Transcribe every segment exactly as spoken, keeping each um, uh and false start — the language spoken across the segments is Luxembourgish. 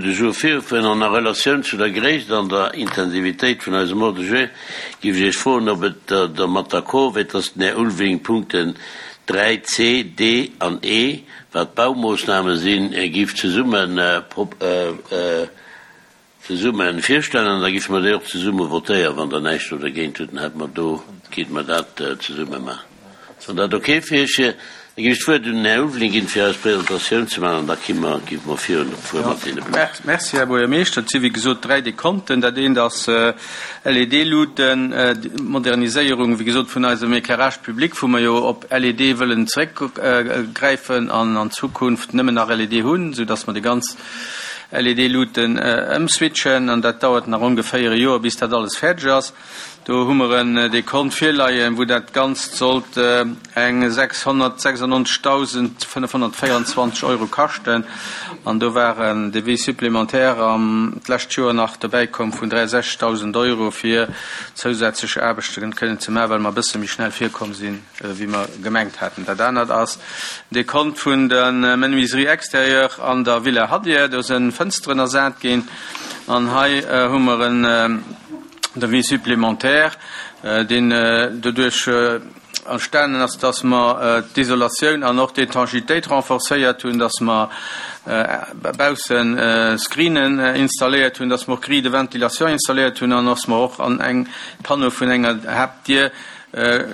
De Jour virun an a Relatioun zu der Gréisst an der Intensivitéit vun eisem Ordre du jour géif ech Iech froen, ob et der dermat d'accord wier, dass den Här Ulveling d'Punkten dräi C, D an E, wat Baumoossname sinn, géif zesummen zesumme virstellen an da géife mer déi och zesumme votéieren, wann Der näischt do dergéint hutt, dann hätte mer do, kéinte mer dat zesumme maachen. Ass dat okay fir Iech? Da géif ech d'Wuert un den Här Ulveling ginn, fir eis Presentatioun ze maachen, an da gi mer, gi mer virun fuere mat deene Punkten. Merci, Här Buergermeeschter. Et si wéi gesot dräi Dekonten. Dat eent ass L E D-Luuten, d'Moderniséierung, wéi gesot, vun eisem Éclairage public, wou mer jo op L E D wëllen zeréckgräifen an an Zukunft nëmmen nach L E D hunn, soudass mer déi ganz L E D-Luuten ëmswitchen. An dat dauert nach ongeféier e Joer, bis dat alles fäerdeg ass. Do hu mer en Dekont virleien, wou dat Ganzt sollt eng sechshonnertsechsundneunzegdausendfënnefhonnertvéierenzwanzeg Euro kaschten. An do war en Devis supplémentaire am d'lescht Joer nach dobäi komm vun dräiundsechzegdausend Euro, fir zousätzlech Aarbechte kënnen ze maachen, well mer e bësse méi schnell virkomm sinn, wéi mer gemengt haten. Dat anert ass Dekont vun der Menuiserie extérieure an der Villa Hadir. Do sinn Fënsteren ersat ginn. An hei hu mer en Devis supplémentaire, deen doduerch entstanen ass, dass mer d'Isolatioun an och d'Étanchéitéit renforcéiert hunn, dass mer bausse Screenen installéiert hunn, dass mer och Grille de ventilation installéiert hunn an dass mer och an eng Panneau vun enger Haaptdier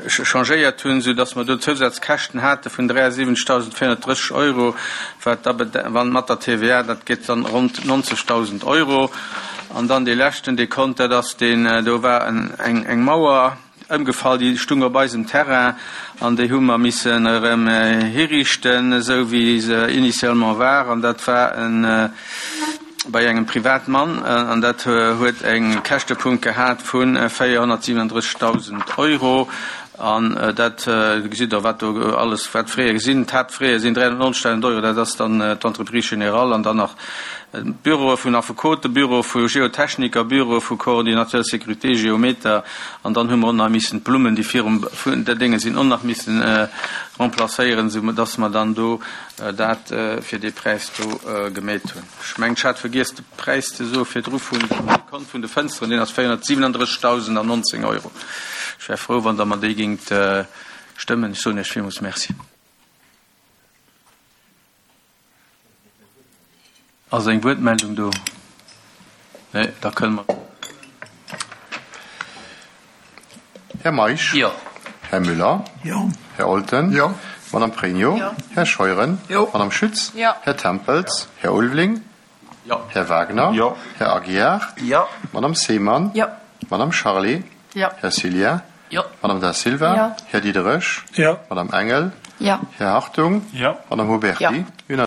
changéiert hunn, soudass mer do Zousazkäschten hate vun dräiundsiwwenzegdausendvéierhonnertdrësseg Euro, wat da wann mat der T V A, dat gëtt dann ronn neunzegdausend Euro. An dann dee leschten Dekont, dat ass deen, do war eng eng Mauer ëmgefall, déi stung op eisem Terrain, an déi hu mer missen erëm hiriichten, esou wéi se initialement war, an dat war en bei engem Privatmann, an dat huet eng Käschtepunkt gehat vu véierhonnertsiewenunddrëssigdausend Euro. An dat gesitt Der, wat do alles, wat Frais sinn. D'Haaptfrais sinn dräihonnertneunzegdausend Euro, dat ass dann d'Entreprise générale an dann nach Büroe vun Affekote, Büro vu Geotechniker, Büro vu Coordinateur sécurité, Geometer, an dann hu mer och nach missen d'Blummen, déi virum vun der Dénge sinn, och nach missen remplacéieren, sou dass mer dann do dat fir dee Präis do gemeet hunn. Ech mengen, ech hat vergiess de Präis ze soe virdru vun dem Dekont vun de Fënsteren, deen ass véierhonnertsiewenunddrëssigdausendnonzéng Euro. Ech wär frou, wann Der mer déi géingt stëmmen. Ech soen Iech villmools Merci. Ass eng Wuertmeldung do? Nee, da kënne mer. Här Meisch? Jo. Här Müller? Jo. Här Olten? Jo. Madame Pregno? Jo. Här Scheuren? Jo. Madame Schütz? Jo. Här Tempels? Här Ulveling? Jo. Här Wagner? Jo. Här Aguiar? Jo. Madame Seemann? Jo. Madame Charlé? Jo. Här Cillien? Jo. Madame Da Silva? Jo. Här Diderich? Jo. Madame Engel? Jo. Här Hartung? Jo. Madame Huberti? Jo.